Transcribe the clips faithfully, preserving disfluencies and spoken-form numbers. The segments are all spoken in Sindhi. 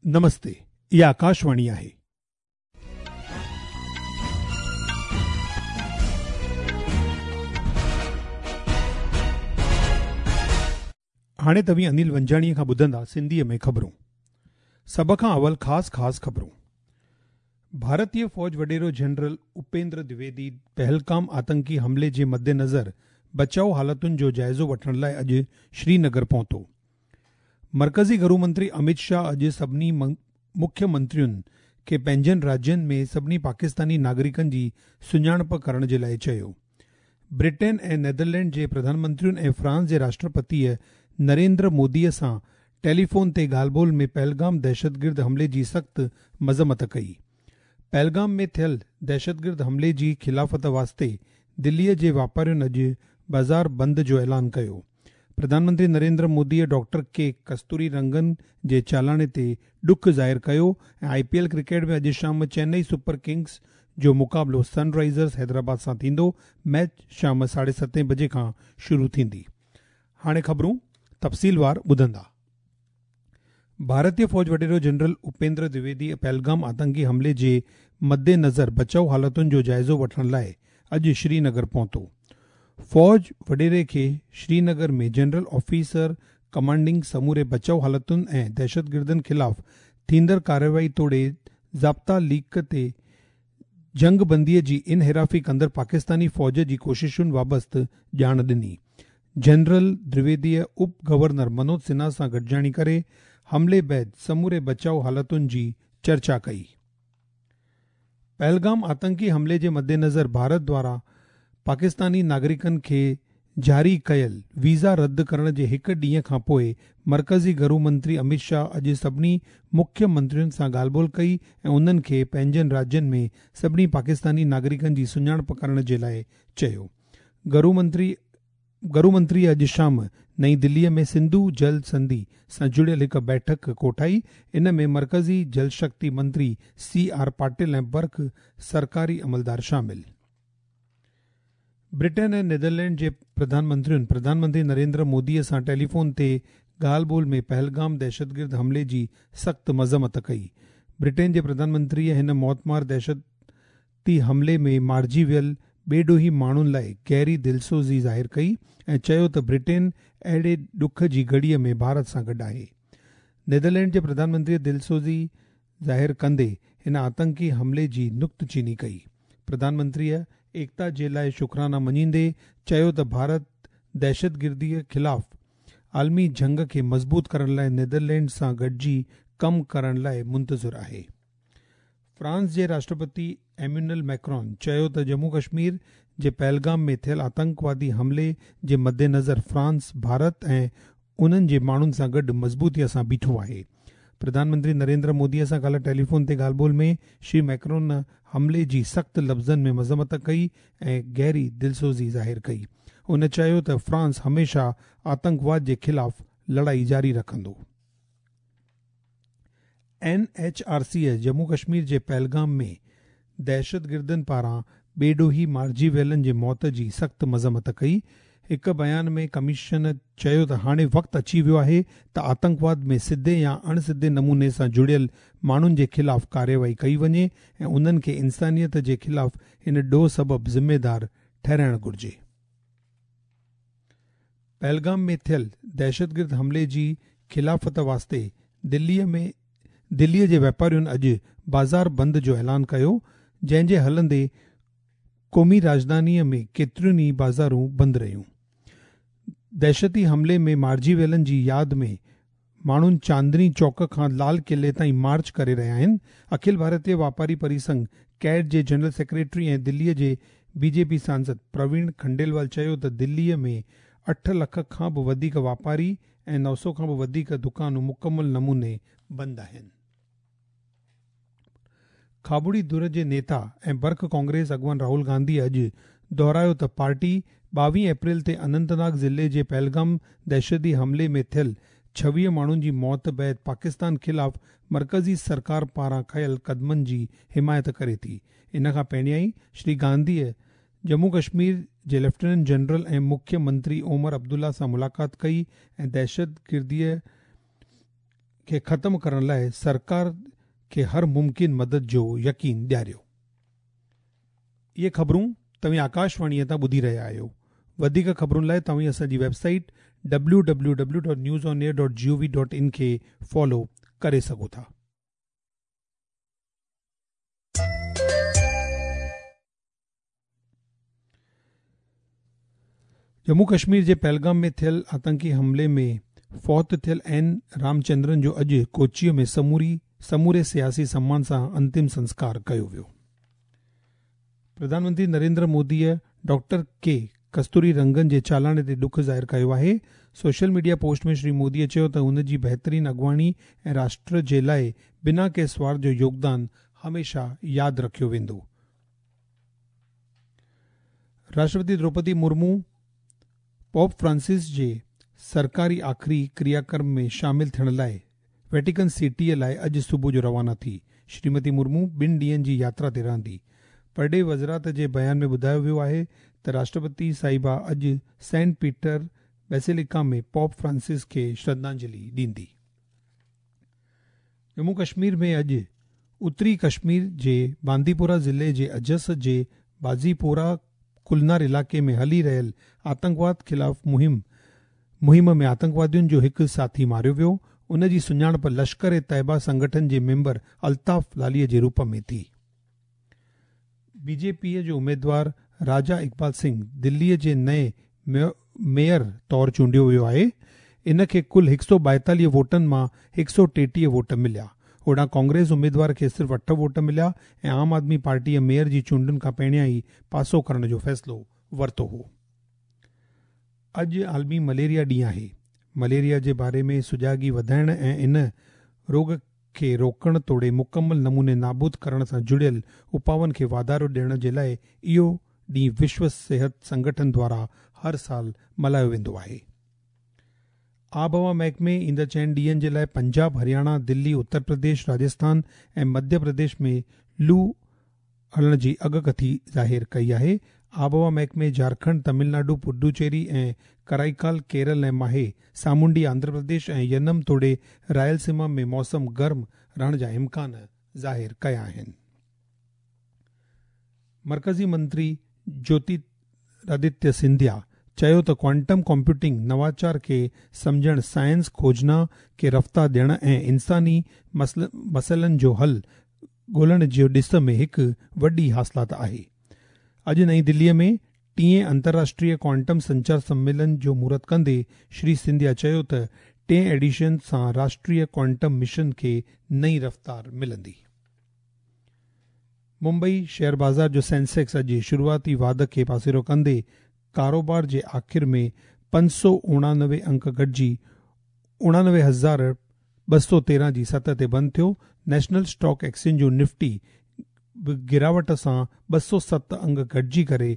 نمستي، اها آڪاشواڻي آهي. هاڻي توهين انيل ونجاڻيءَ کان ٻڌندا سنڌيءَ ۾ خبرون. سڀ کان اول خاص خاص خبرون. ڀارتيه فوج وڏيرو جنرل اپيندر دويدي پهلگام آتنڪي حملي جي مدنظر بچاءُ حالتن جو جائزو وٺڻ لاءِ اڄ شرينگر پهتو. مرڪزي گهرو منتري امت شاهه اڄ سڀني مکيه منترين کي پنهنجن راجين ۾ سڀني پاڪستاني ناگرڪن جي سڃاڻپ ڪرڻ جي لاءِ چيو. برٽين ۽ نيدرلينڊ جي پرڌان منترين ۽ فرانس جي راشٽرپتيءَ نريندر موديءَ سان ٽيليفون تي ڳالهه ٻولهه ۾ پهلگام دهشتگرد حملي جي سخت مذمت ڪئي. پهلگام ۾ ٿيل دهشتگرد حملي جي خلافت واسطي دليءَ جي واپارين اڄ بازار بند جو اعلان ڪيو. پرڌان منتري نريندر موديءَ ڊاڪٽر ڪي ڪستوري رنگن جي چالاڻي تي ڏک ظاهر ڪيو ۽ آئي پي ايل ڪرڪيٽ ۾ اڄ شام چنئي سپر ڪنگز جو مقابلو سن رائزرز حيدرآباد سان ٿيندو. ميچ شام ساڍي ستين بجي کان شروع ٿيندي. هاڻي خبرون تفصيلوار ٻڌندا. ڀارتيه فوج وڏيرو جنرل اپيندر دويدي پهلگام آتنڪي حملي جي مدنظر بچاءُ حالتن جو جائزو وٺڻ لاءِ اڄ شرينگر پهتو. فوج وڏيري کي شرينگر ۾ جنرل آفيسر ڪمانڊنگ سموري بچاءُ حالتن ۽ دهشتگردن خلاف ٿيندڙ ڪارروائي توڙي ضابطا ليڪ تي جنگ بنديءَ جي انحرافي ڪندڙ پاڪستاني فوج جي ڪوششن بابت ڄاڻ ڏني. جنرل دويديءَ اپ گورنر منوج سنها سان گڏجاڻي ڪري حملي بعد سموري بچاءُ حالتن جي چرچا ڪئي. پهلگام آتنڪي حملي جي مدنظر ڀارت دواران پاڪستاني ناگرڪن کي جاري ڪيل ويزا رد ڪرڻ جي هڪ ڏينهن کان پوءِ مرڪزي گهرو منتري امت شاهه اڄ سڀني مکيه منترين سان ڳالهه ٻولهه ڪئي ۽ انهن کي پنهنجن راجين ۾ سڀني پاڪستاني ناگرڪن جي سڃاڻپ ڪرڻ جي لاءِ چيو. گهرو منتري گهرو منتري اڄ شام نئين دليءَ ۾ سنڌو جل سنڌي سان جڙيل هڪ بيٺڪ ڪوٺائي. ان ۾ مرڪزي جل شڪتي منتري سي آر پاٽل ۽ برک سرڪاري عملدار شامل. برٽين ۽ نيدرلينڊ جي پرڌان منترين پرڌان منتري نريندر موديءَ سان ٽيليفون تي ڳالهه ٻولهه ۾ پهلگام دهشتگرد حملي جي سخت مذمت ڪئي. برٽين جي پرڌان منتريءَ هن موتمار دهشتي حملي ۾ مارجي ويل بيڏوهي ماڻهن لاءِ گهري دلسوزي ظاهر ڪئي ۽ چيو ته برٽين اهڙي ڏک جي گهڙيءَ ۾ ڀارت سان گڏ آهي. نيدرلينڊ جي پرڌان منتريءَ دلسوزي ظاهر ڪندي هن آتنڪي حملي جي نڪتچيني ڪئي. پرڌان منتريءَ ايڪتا جي لاءِ شڪرانا مڃيندي چيو ته ڀارت دهشتگرديءَ خلاف عالمي جنگ کي مضبوط ڪرڻ لاءِ نيدرلينڊ سان گڏجي ڪم ڪرڻ لاءِ منتظر آهي. فرانس جي راشٽرپتي ايمينل ميڪرون چيو ته ڄمون ڪشمير جي پهلگام ۾ ٿيل آتنڪوادي حملي جي مدنظر فرانس ڀارت ۽ انهن جي ماڻهن سان گڏ مضبوطيءَ سان بيٺو آهي. پرڌان منتري نريندر موديءَ سان ڪالهه ٽيليفون تي ڳالهه ٻولهه ۾ شري ميڪرون حملي جي سخت لفظن ۾ مذمت ڪئي ۽ گهري دلسوزي ظاهر ڪئي. هن چيو ته فرانس هميشه آتنڪواد جي خلاف لڙائي جاري رکندو. N H R سيءَ Jammu Kashmir جي پهلگام ۾ دهشتگردن پاران بيڏوهي مارجي ويلن جي موت جي سخت مذمت ڪئي. هڪ بيان ۾ ڪميشن چيو ته هاڻي وقت اچي ويو آهي ته آتنڪواد ۾ سڌي يا اڻ سڌي نموني سان جڙيل ماڻهن جي خلاف ڪارروائي ڪئي وڃي ۽ انهن کي انسانيت جي خلاف هن ڏوهه سبب ذميدار ٺهرائڻ گهرجي. پهلگام ۾ ٿيل دهشتگرد حملي جي خلافت واسطي دليءَ ۾ دليءَ جي واپارين اڄ بازار بند جو اعلان ڪيو، جنهن جي هلندي قومي راڄڌانيءَ ۾ ڪيتريون ئي بازارون بند رهيون. دهشتي حملي ۾ مارجي ويلن جي ياد ۾ ماڻهن چاندني چوڪ کان لال قلعي تائين مارچ ڪري رهيا آهن. اکل ڀارتيه واپاري پرسنگهه ڪيڊ جي جنرل سيڪريٽري ۽ دليءَ جي بي جي پي سانسد پروين کنڊيلوال چيو ته دليءَ ۾ اٺ لک کان به وڌيڪ واپاري ۽ نو سؤ کان به وڌيڪ دڪانون مڪمل نموني بند آهن. کاٻڙي ڌر جي نيتا ۽ برک ڪانگريس اڳواڻ راهول گانڌي اڄ دهرايو ته پارٽي ٻاويهه اپريل تي اننت ناگ ضلعي جي پهلگام دهشتي حملي ۾ ٿيل ڇويهه ماڻهن جي موت بعد پاڪستان خلاف مرڪزي سرڪار پاران کنيل قدمن جي حمايت ڪري ٿي. ان کان پهريان ئي شري گانڌيءَ ڄمون ڪشمير جي ليفٽيننٽ جنرل ۽ مکيه منتري عمر عبدالله سان ملاقات ڪئي ۽ دهشتگرديءَ کي ختم ڪرڻ لاءِ سرڪار کي هر ممڪن مدد جو يقين ڏياريو. اهي خبرون توهين آڪاشواڻيءَ تان ٻڌي رهيا آهيو. وڌيڪ خبرن لاءِ توهين اسان جي website W W W dot news on air dot G O V dot in کي فالو ڪري سگهو ٿا. ڄمون ڪشمير جي پهلگام ۾ ٿيل آتنڪي حملي ۾ فوت ٿيل اين رامچندرن جو اڄ ڪوچيءَ ۾ سموري سموري سياسي سمان سان انتم سنسڪار ڪيو ويو. پرڌان منتري نريندر موديءَ ڊاڪٽر ڪي ڪستوري رنگن جي چالاڻي تي ڏک ظاهر ڪيو آهي. سوشل ميڊيا پوسٽ ۾ شري موديءَ چيو ته هن جي بهترين اڳواڻي ۽ راشٽر جي لاءِ بنا ڪنهن سوارٿ جو يوگدان هميشه ياد رکيو ويندو. راشٽرپتي دروپدي مرمو پوپ فرانسس جي سرڪاري آخري ڪرياڪرم ۾ شامل ٿيڻ لاءِ ويٽيڪن سٽيءَ لاءِ اڄ صبح جو روانا ٿي. شريمتي مرمو ٻن ڏينهن جي ياترا تي رهندي. پرڏيهي وزارت جي بيان ۾ ٻڌايو ويو آهي ته راشٽرپتي صاحبه اڄ Saint Peter basilica ۾ pope Francis کي شرڌانجلي ڏيندي. ڄمون ڪشمير ۾ اڄ اتري ڪشمير جي بانديپورا ضلعي جي اجس جي بازيپورا ڪلنار علائقي ۾ هلي رهيل آتنڪواد خلاف مهم مهم ۾ آتنڪوادين جو هڪ ساٿي ماريو ويو. ان جي سڃاڻپ لشڪر طيبه سنگٺن جي ميمبر الطاف لاليءَ جي روپ ۾ ٿي. بي جي پيءَ جو اميدوار راجا اقبال سنگهه دليءَ جي نئين ميئر طور چونڊيو ويو آهي. ان کي ڪل هڪ سؤ ٻائيتاليهه ووٽن مان هڪ سؤ ٽيٽيهه ووٽ مليا. هوڏانهن ڪانگريس اميدوار کي صرف اٺ ووٽ مليا ۽ عام آدمي پارٽيءَ ميئر جي چونڊن کان پهريان ئي پاسو ڪرڻ جو فيصلو ورتو هو. اڄ عالمي مليريا ڏينهن آهي. مليريا جي باري ۾ سجاڳي وڌائڻ ۽ ان روڳ کي روڪڻ توڙي مڪمل نموني نابود ڪرڻ سان جڙيل اپائن کي واڌارو ڏيڻ جي لاءِ اهو ڏينهن وشو صحت سنگٺن دوارا هر سال ملهايو ويندو آهي. آبهوا محڪمي ايندڙ چئن ڏينهن جي لاءِ پنجاب، هرياڻا، دلي، اتر پرديش، راجسٿان ۽ مڌيه پرديش ۾ لو هلڻ جي اڳڪٿي ظاهر ڪئي آهي. آبهوا محڪمي جهارکنڊ، تامل ناڊو، پڊوچيري ۽ ڪرائيڪال، ڪيرل ۽ ماهي، سامونڊي آنڌرا پرديش ۽ ينم توڙي رائلسيما ۾ موسم گرم رهڻ جا امڪان ظاهر ڪيا آهن. مرڪزي منتري جيوترادتيه سنڌيا چيو ته ڪوانٽم ڪمپيوٽنگ نواچار کي سمجهڻ، سائنس کوجنا کي رفتار ڏيڻ ۽ انساني مسئلن جو حل ڳولڻ جي ڏس ۾ هڪ وڏي حاصلات آهي. اڄ نئين دليءَ ۾ ٽئين انترراشٽريه ڪوانٽم سنچار سميلن جو مهورت ڪندي شري سنڌيا چيو ته ٽئين ايڊيشن سان راشٽريه ڪوانٽم مشن کي نئين رفتار ملندي. ممبئي شيئر بازار جو سينسيڪس اڄ شروعاتي واڌ کي پاسيرو ڪندي ڪاروبار جي آخر ۾ پنج سؤ اڻانوي انڪ گهٽجي اڻانوي هزار ٻه سؤ تيرهن جي سطح تي بند ٿيو. نيشنل اسٽاڪ ايڪسچينج جو نفٽي به گراوٽ سان ٻه سؤ ست انگ گهٽجي ڪري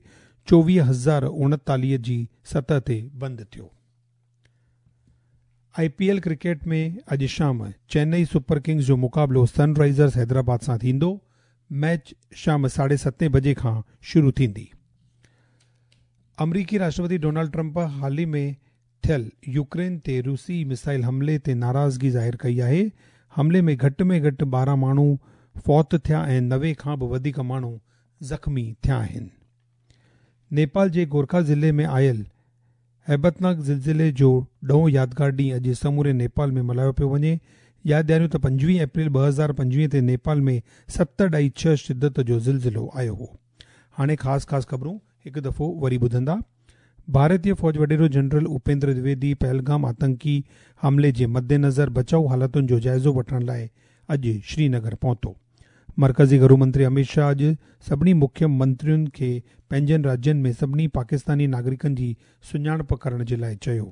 چوويهه هزار اڻيتاليهه جي سطح تي بند ٿيو. آئي پي ايل ڪرڪيٽ ۾ اڄ شام چنئي سپر ڪنگز جو مقابلو سن رائزرز حيدرآباد سان ٿيندو. ميچ شام ساڍي ستين بجي کان شروع ٿيندي. آمريڪي راشٽرپتي ڊونالڊ ٽرمپ حال ئي ۾ ٿيل يوڪرين تي روسي مسائل حملي تي ناراضگي ظاهر ڪئي آهي. حملي ۾ گهٽ ۾ گهٽ ٻارهن ماڻهو فوت ٿيا ۽ نوي کان به وڌيڪ ماڻهو زخمي ٿيا آهن. نيپال جي گورکا ضلعي ۾ آيل هيبتناڪ زلزلي جو ڏهون يادگار ڏينهن اڄ سموري نيپال ۾ ملهايو پيو وڃي. ياد ڏياريون ته پنجويهه اپريل ٻه هزار پنجويهه تي نيپال ۾ ست اڍائي ڇهه شدت جو زلزلو آيو هو. هاڻي خاص خاص خبرون هڪ دفعو وري ٻڌندا. ڀارتيه فوج وڏيرو جنرل اپيندر دويدي پهلگام آتنڪي حملي جي مدنظر بچاءُ حالتن جو جائزو وٺڻ لاءِ اڄ شرينگر پهتو. مرڪزي گهرو منتري امت شاهه اڄ سڀني مکيه منترين کي پنهنجن راجين ۾ سڀني پاڪستاني ناگرڪن جي سڃاڻپ ڪرڻ جي لاءِ چيو.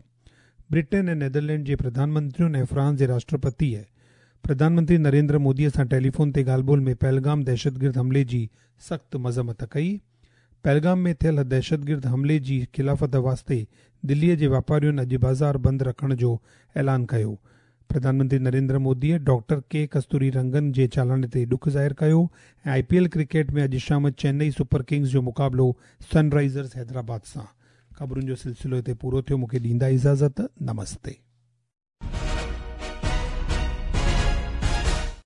برٽن ۽ نيدرلينڊ جي پرڌان منترين ۽ فرانس جي راشٽرپتيءَ پرڌان منتري نريندر موديءَ سان ٽيليفون تي ڳالهه ٻولهه ۾ پهلگام دهشتگرد حملي جي سخت مذمت ڪئي. پهلگام ۾ ٿيل دهشتگرد حملي جي خلافت واسطي دليءَ جي واپارين اڄ بازار بند رکڻ جو اعلان ڪيو. پرڌان منتري نريندر موديءَ ڊاڪٽر ڪي ڪستوري رنگن جي چالاڻي تي ڏک ظاهر ڪيو ۽ آئي پي ايل ڪرڪيٽ ۾ اڄ شام چنئي سپر ڪنگز جو مقابلو سن رائزرز حيدرآباد سان. خبرن جو سلسلو هتي پورو ٿيو. مون کي ڏيندا اجازت. نمستي.